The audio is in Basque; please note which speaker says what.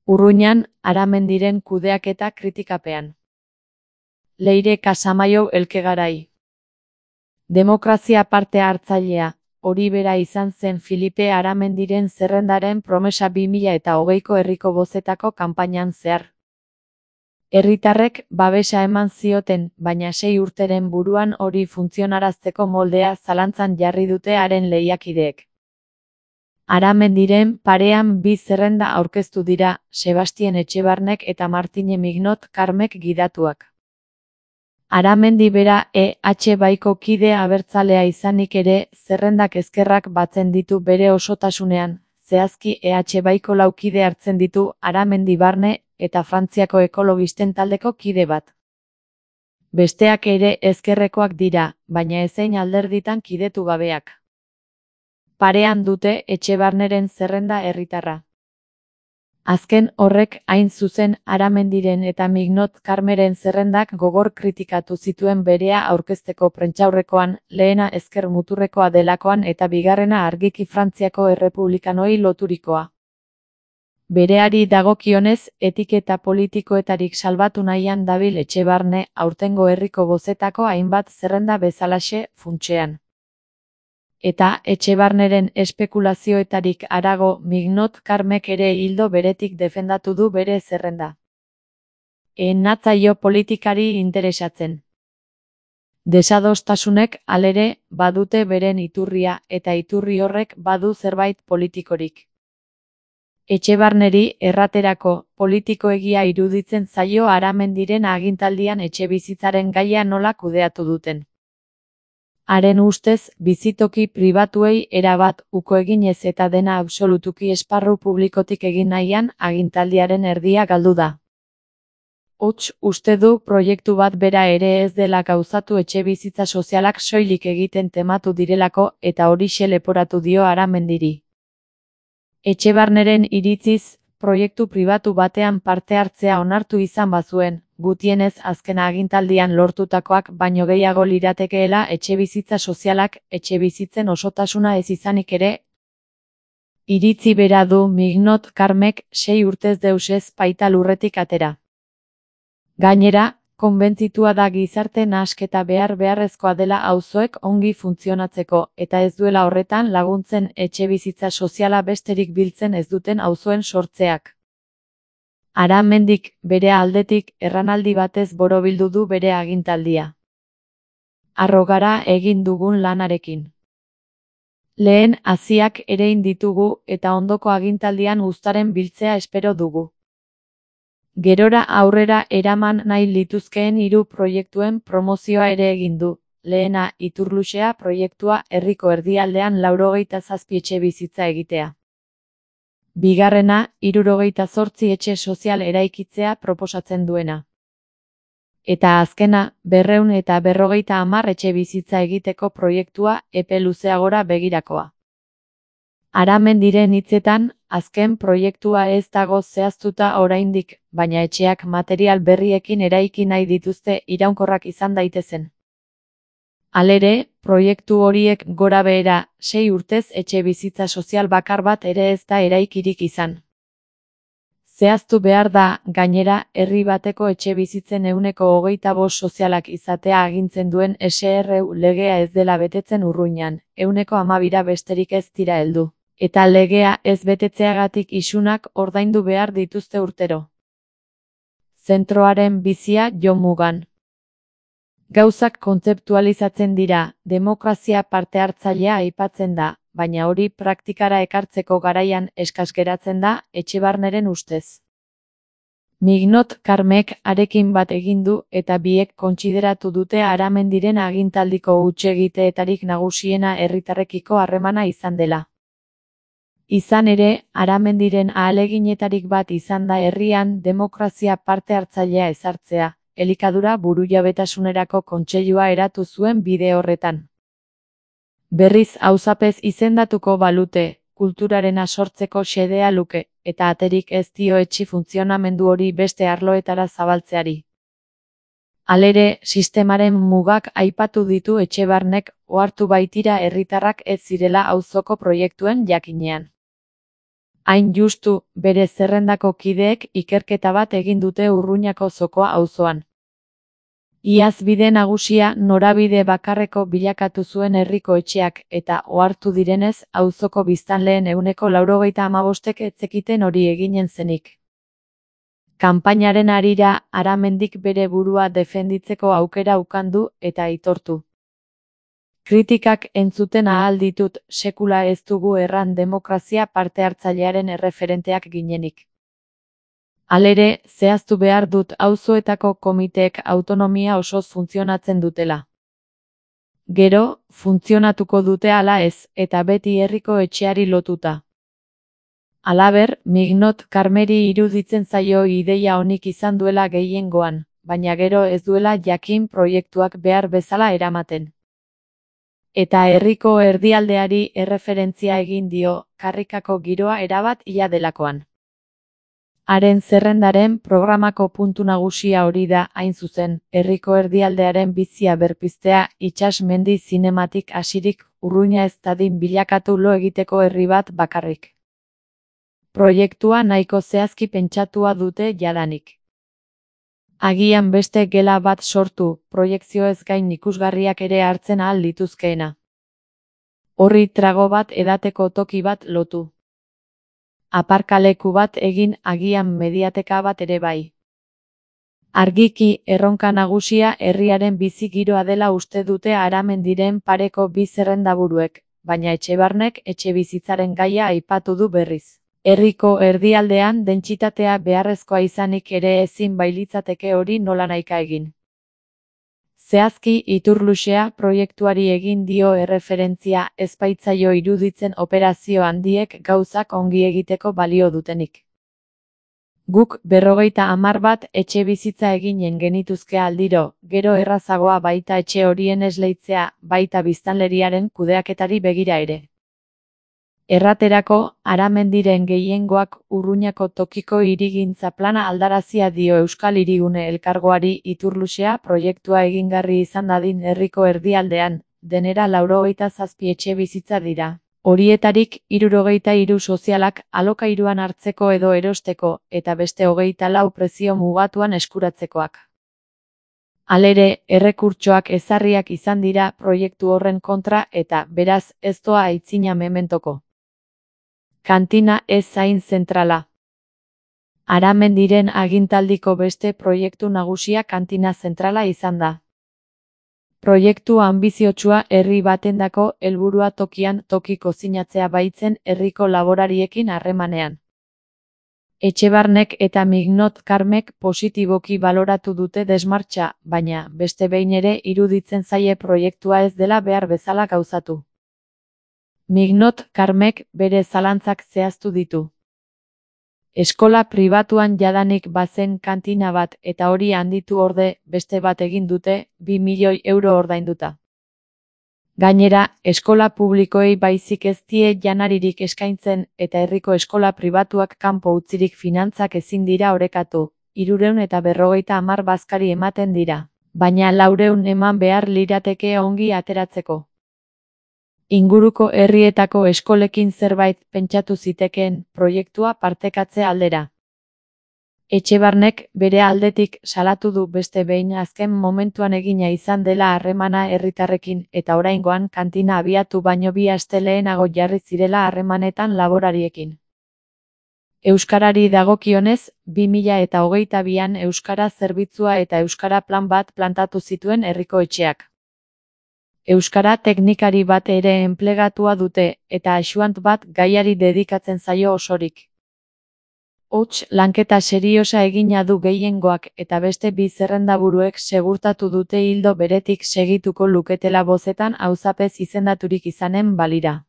Speaker 1: Urruñan, Aramendiren kudeaketa kritikapean. Leire Casamaio Elkegarai. Demokrazia parte hartzailea, hori bera izan zen Filipe Aramendiren zerrendaren promesa 2020ko herriko bozetako kanpainan zehar. Herritarrek babesa eman zioten, baina 6 urteren buruan hori funtzionarazteko moldea zalantzan jarri dute haren lehiakideek. Aramendiren parean 2 zerrenda aurkeztu dira, Sebastien Etxebarnek eta Martine Mignot Karmek gidatuak. Aramendi bera EH Baiko kide abertzalea izanik ere, zerrendak ezkerrak batzen ditu bere osotasunean, zehazki EH Baiko 4 kide hartzen ditu, Aramendi barne, eta Frantziako ekologisten taldeko kide bat. Besteak ere ezkerrekoak dira, baina ezein alderditan kidetu gabeak. Parean dute Etxebarneren zerrenda herritarra. Azken horrek hain zuzen Aramendiren eta Mignot Karmeren zerrendak gogor kritikatu zituen berea aurkezteko prentsaurrekoan, lehena ezker muturrekoa delakoan eta bigarrena argiki Frantziako errepublikanoi loturikoa. Bereari dagokionez, etiketa politikoetarik salbatu nahian dabil Etxebarne, aurtengo herriko bozetako hainbat zerrenda bezalaxe, funtsean. Eta Etxebarneren espekulazioetarik harago Mignot Karmek ere ildo beretik defendatu du bere zerrenda. Natzaio politikari interesatzen. Desadostasunek, halere, badute beren iturria, eta iturri horrek badu zerbait politikorik. Etxebarneri erraterako politikoegia iruditzen zaio Aramendiren agintaldian etxebizitzaren gaia nola kudeatu duten. Haren ustez, bizitoki pribatuei erabat uko eginez eta dena absolutuki esparru publikotik egin nahian, agintaldiaren erdia galdu da. Hots, uste du proiektu bat bera ere ez dela gauzatu etxebizitza sozialak soilik egiten tematu direlako eta horixe leporatu dio Aramendiri. Etxebarneren iritziz, proiektu pribatu batean parte hartzea onartu izan bazuen, gutienez azken agintaldian lortutakoak baino gehiago liratekeela etxebizitza sozialak, etxebizitzen osotasuna ez izanik ere. Iritzi bera du Mignot Karmek 6 urtez deusez baita lurretik atera. Gainera, konbentzitua da gizarte nahasketa beharrezkoa dela auzoek ongi funtzionatzeko, eta ez duela horretan laguntzen etxebizitza soziala besterik biltzen ez duten auzoen sortzeak. Aramendik, bere aldetik, erranaldi batez borobildu du bere agintaldia. Harro gara egin dugun lanarekin. Lehen haziak erein ditugu eta ondoko agintaldian uztaren biltzea espero dugu. Gerora aurrera eraman nahi lituzkeen 3 proiektuen promozioa ere egin du. Lehena, Iturluxea proiektua herriko erdialdean 97 etxebizitza egitea. Bigarrena, 78 etxe sozial eraikitzea proposatzen duena. Eta azkena, 250 etxebizitza egiteko proiektua epe luzeagora begirakoa. Aramendiren hitzetan, azken proiektua ez dago zehaztuta oraindik, baina etxeak material berriekin eraiki nahi dituzte iraunkorrak izan daitezen. Halere, proiektu horiek gora behera, 6 urtez etxebizitza sozial bakar bat ere ez da eraikirik izan. Zehaztu behar da, gainera, herri bateko etxebizitzen 25% sozialak izatea agintzen duen SRU legea ez dela betetzen Urruñan, 12% besterik ez dira heldu. Eta legea ez betetzeagatik isunak ordaindu behar dituzte urtero. Zentroaren bizia Jon Mugan. Gauzak kontzeptualizatzen dira, demokrazia parte hartzailea aipatzen da, baina hori praktikara ekartzeko garaian eskas geratzen da, Etxebarneren ustez. Mignot Karmek arekin bat egin du eta biek kontsideratu dute Aramendiren agintaldiko hutsegiteetarik nagusiena herritarrekiko harremana izan dela. Izan ere, Aramendiren ahaleginetarik bat izan da herrian demokrazia parte hartzailea ezartzea, elikadura burujabetasunerako kontseilua eratu zuen bide horretan. Berriz auzapez izendatuko balute, kulturarena sortzeko xedea luke, eta aterik ez dio etxi funtzionamendu hori beste arloetara zabaltzeari. Halere, sistemaren mugak aipatu ditu Etxebarnek, ohartu baitira herritarrak ez zirela auzoko proiektuen jakinean. Hain justu, bere zerrendako kideek ikerketa bat egin dute Urruñako Zokoa auzoan. Iaz bide nagusia norabide bakarreko bilakatu zuen herriko etxeak eta ohartu direnez auzoko biztanleen 95%ek ez zekiten hori eginen zenik. Kanpainaren harira Aramendik bere burua defenditzeko aukera ukan du eta aitortu. Kritikak entzuten ahal ditut, sekula ez dugu erran demokrazia parte hartzailearen erreferenteak ginenik. Halere, zehaztu behar dut auzoetako komiteek autonomia osoz funtzionatzen dutela. Gero, funtzionatuko dute ala ez, eta beti herriko etxeari lotuta. Halaber, Mignot Karmeri iruditzen zaio ideia onik izan duela gehiengoan, baina gero ez duela jakin proiektuak behar bezala eramaten. Eta herriko erdialdeari erreferentzia egin dio, karrikako giroa erabat ia delakoan. Haren zerrendaren programako puntu nagusia hori da, hain zuzen, herriko erdialdearen bizia berpiztea itsas mendi zinematik hasirik Urruña ez dadin bilakatu lo egiteko herri bat bakarrik. Proiektua nahiko zehazki pentsatua dute jadanik. Agian beste gela bat sortu, proiekzioez gain ikusgarriak ere hartzen ahal lituzkeena. Horri trago bat edateko toki bat lotu. Aparkaleku bat egin, agian mediateka bat ere bai. Argiki, erronka nagusia herriaren bizi giroa dela uste dute Aramendiren pareko bi zerrendaburuek, baina Etxebarnek etxebizitzaren gaia aipatu du berriz. Herriko erdialdean dentsitatea beharrezkoa izanik ere ezin bailitzateke hori nolanahika egin. Zehazki, Iturluxea proiektuari egin dio erreferentzia ez baitzaio iruditzen operazio handiek gauzak ongi egiteko balio dutenik. Guk 50 bat etxe bizitza eginen genituzke aldiro, gero errazagoa baita etxe horien esleitzea, baita biztanleriaren kudeaketari begira ere. Erraterako, Aramendiren gehiengoak Urruñako tokiko hirigintza plana aldarazia dio Euskal Hirigune Elkargoari Iturluxea proiektua egingarri izan dadin herriko erdialdean, denera 97 etxe bizitza dira. Horietarik 73 sozialak alokairuan hartzeko edo erosteko, eta beste 24 prezio mugatuan eskuratzekoak. Halere, errekurtsoak ezarriak izan dira proiektu horren kontra eta, beraz, ez doa aitzina mementoko. Kantina ez zain zentrala. Aramendiren agintaldiko beste proiektu nagusia kantina zentrala izan da. Proiektu anbiziotsua herri batendako helburua tokian toki kozinatzea baitzen herriko laborariekin harremanean. Etxebarnek eta Mignot Karmek positiboki baloratu dute desmartxa, baina, beste behin ere iruditzen zaie proiektua ez dela behar bezala gauzatu. Mignot Karmek bere zalantzak zehaztu ditu. Eskola pribatuan jadanik bazen kantina bat eta hori handitu orde beste bat egin dute 2 milioi euro ordainduta. Gainera, eskola publikoei baizik ez die janaririk eskaintzen eta herriko eskola pribatuak kanpo utzirik finantzak ezin dira orekatu, 350 bazkari ematen dira, baina 400 eman behar lirateke ongi ateratzeko. Inguruko herrietako eskolekin zerbait pentsatu zitekeen proiektua partekatze aldera. Etxebarnek bere aldetik salatu du beste behin azken momentuan egina izan dela harremana herritarrekin eta oraingoan kantina abiatu baino 2 aste lehenago jarri zirela harremanetan laborariekin. Euskarari dagokionez, 2022an euskara zerbitzua eta euskara plan bat plantatu zituen herriko etxeak. Euskara teknikari bat ere enplegatua dute, eta axuant bat gaiari dedikatzen zaio osorik. Hots, lanketa seriosa egina du gehiengoak eta beste 2 zerrendaburuek segurtatu dute ildo beretik segituko luketela bozetan auzapez izendaturik izanen balira.